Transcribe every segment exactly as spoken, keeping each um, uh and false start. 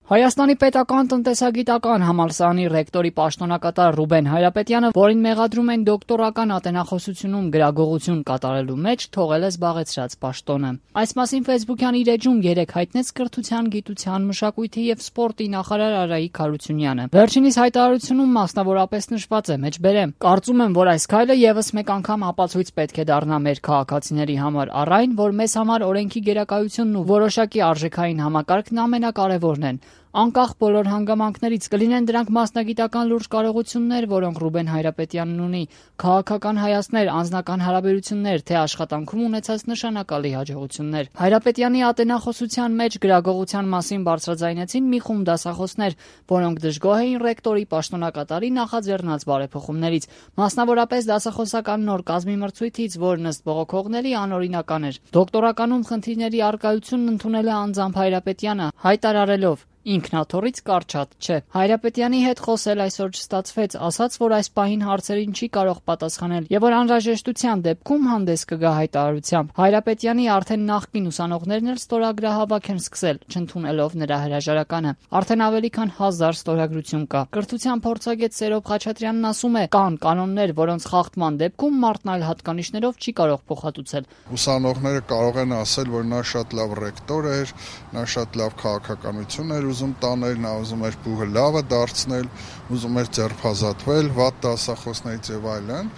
Հայաստանի պետական տնտեսագիտական համալսարանի ռեկտորի պաշտոնակատար Ռուբեն Հայրապետյանը, որին մեղադրում են դոկտորական ատենախոսությունում գրագողություն կատարելու մեջ, թողել է զբաղեցրած պաշտոնը։ Այս մասին ֆեյսբուքյան իր էջում երեկ հայտնեց կրթության, գիտության, մշակույթի եւ սպորտի նախարար Արայիկ Հարությունյանը։ Վերջինիս հայտարարությունում մասնավորապես նշված է, մեջբերեմ. «Կարծում եմ, որ այս քայլը եւս մեկ անգամ ապացույց պետք է դառնա մեր քաղաքացիների համար առ այն, որ մեզ համար օրենքի գերակայությունն ու որոշակի արժեքային համակարգն ամենակարևորն են։ Անկախ բոլոր հանգամանքներից կլինեն դրանք մասնագիտական լուրջ կարողություններ, որոնք Ռուբեն Հայրապետյանն ունի, քաղաքական հայացքներ, անձնական հարաբերություններ, թե աշխատանքում ունեցած նշանակալի հաջողություններ»։ Հայրապետյանի ատենախոսության մեջ գրագողության մասին բարձրաձայնեցին մի խումբ դասախոսներ, որոնք դժգոհ էին ռեկտորի պաշտոնակատարի նախաձեռնած բարեփոխումներից, մասնավորապես դասախոսական նոր կազմի մրցույթից, որն ըստ բողոքողների անօրինական էր։ Դոկտորականում խնդիրների առկայությունն ընդունել է անձամբ Հայրապետյանը, հայտարարելով. «Ինքնաթոռից կարճատ չէ»։ Հայրապետյանի հետ խոսել այսօր չստացվեց, ասաց, որ այս պահին հարցերին չի կարող պատասխանել եւ որ անհրաժեշտության դեպքում հանդես կգա հայտարարությամբ։ Հայրապետյանի արդեն նախկին ուսանողներն էլ ստորագրահավաք են սկսել, չընդունելով նրա հրաժարականը։ Արդեն ավելի քան հազար ստորագրություն կա։ Կրթության փորձագետ Սերոբ Խաչատրյանն ասում է, կան կանոններ, որոնց խախտման դեպքում մարդն այլ հատկանիշներով չի կարող փոխհատուցել։ Ուսանողները կարող են ասել, որ նա շատ լավ ռեկտոր էր, նա շատ լավ քաղաքականություն էր ուզում տանել, նա ուզում էր փուլը լավը դարձնել, ուզում էր ձերբազատվել վատ դասախոսներից եւ այլն։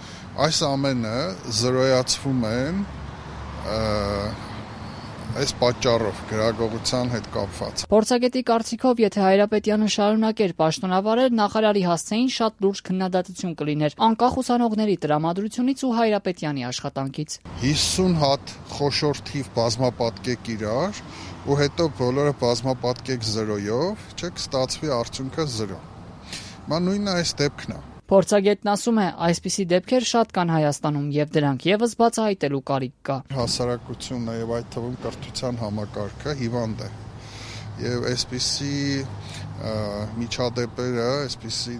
Այս ամենը զրոյացվում են այս պատճառով գրագողության հետ կապված։ Փորձագետի կարծիքով, եթե Հայրապետյանը շարունակեր պաշտոնավարել, նախարարի հասցեին շատ լուրջ քննադատություն կլիներ անկախ ուսանողների տրամադրությունից ու Հայրապետյանի աշխատանքից։ հիսուն հատ խոշոր թիվ բազմապատկեք իրար ու հետո բոլորը բազմապատկեք զրոյով, չէ՞ կստացվի արդյունքը զրո։ Ման նույնը այս դեպքն է։ Փորձագետն ասում է, այսպիսի դեպքեր շատ կան Հայաստանում եւ դրանք եւս բացահայտելու կարիք կա։ Հասարակությունն եւ այդ թվում կրթության համակարգը հիվանդ է եւ այսպիսի միջադեպերը, այսպիսի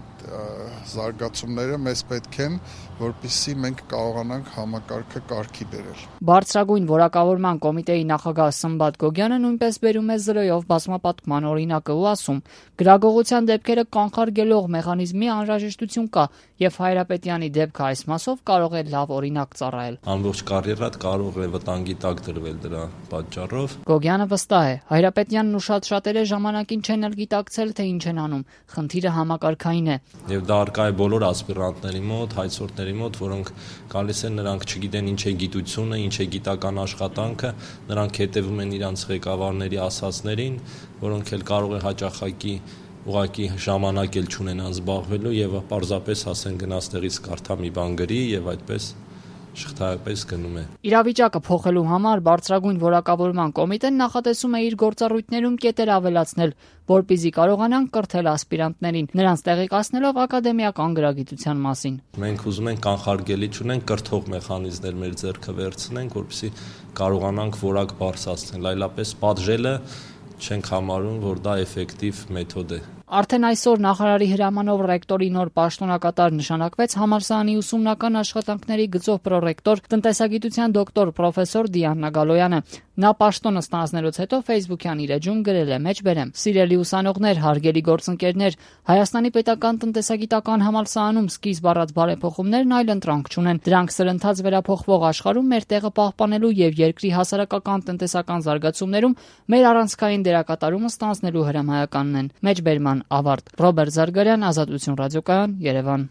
զարգացումները մեզ պետք են, որպեսզի մենք կարողանանք համակարգը կարգի բերել։ Բարձրագույն որակավորման կոմիտեի նախագահ Սմբատ Գոգյանը նույնպես բերում է զրոյով բազմապատկման օրինակը ու ասում. «Գրագողության դեպքերը կանխարգելող մեխանիզմի անհրաժեշտություն կա եւ Հայրապետյանի դեպքը այս մասով կարող է լավ օրինակ ծառայել»։ Ամբողջ կարիերատ կարող է վտանգի տակ դրվել դրա պատճառով։ Գոգյանը վստահ է, Հայրապետյանն ու շատ շատերը ժամանակին չեն էլ գիտակցել, թե ինչ են անում։ Խնդիրը համակարգային է։ Եվ դա արկա է բոլոր ասպիրանտների մոտ, հայցորդների մոտ, որոնք գալիս են, նրանք չգիտեն ինչ է գիտությունը, ինչ է գիտական աշխատանքը, նրանք հետևում են իրանց ղեկավարների ասածներին, որոնք էլ կարող է հաճախակի ուղղակի ժամանակ էլ չունենան զբաղվելու եւ պարզապես ասեն գնաց տեղից կարդա մի բան գրի եւ այդպես շղթայապես գնում է։ Իրավիճակը փոխելու համար բարձրագույն որակավորման կոմիտեն նախատեսում է իր գործառույթներում կետեր ավելացնել, որպեսզի կարողանան կրթել ասպիրանտներին, նրանց տեղեկացնելով ակադեմիական գրագիտության մասին։ Մենք ուզում ենք կանխարգելի չունենք, կրթող մեխանիզմներ մեր ձեռքը վերցնենք, որպեսզի կարողանանք որակ բարձրացնել, այլապես պատժելը չենք համարում, որ դա էֆեկտիվ մեթոդ է։ Արդեն այսօր նախարարի հրամանով ռեկտորի նոր պաշտոնակատար նշանակվեց համալսարանի ուսումնական աշխատանքների գծով պրոռեկտոր, տնտեսագիտության դոկտոր պրոֆեսոր Դիանա Գալոյանը։ Նա պաշտոնը ստանձնելուց հետո ֆեյսբուքյան իր էջում գրել է. «Մեջբերեմ, սիրելի ուսանողներ, հարգելի գործընկերներ, Հայաստանի պետական տնտեսագիտական համալսարանում սկիզբ առած բարեփոխումներն այլ ընտրանք չունեն։ Դրանք սրընթաց վերափոխվող աշխարհում մեր տեղը պահպանելու եւ երկրի հասարակական տնտեսական զարգացումներում մեր առանցքային դերակատարումը ստանձնելու հրամայականն են»։ Մեջբերման ավարտ։ Ռոբերտ Զարգարյան, Ազատություն ռադիոկայան, Երևան։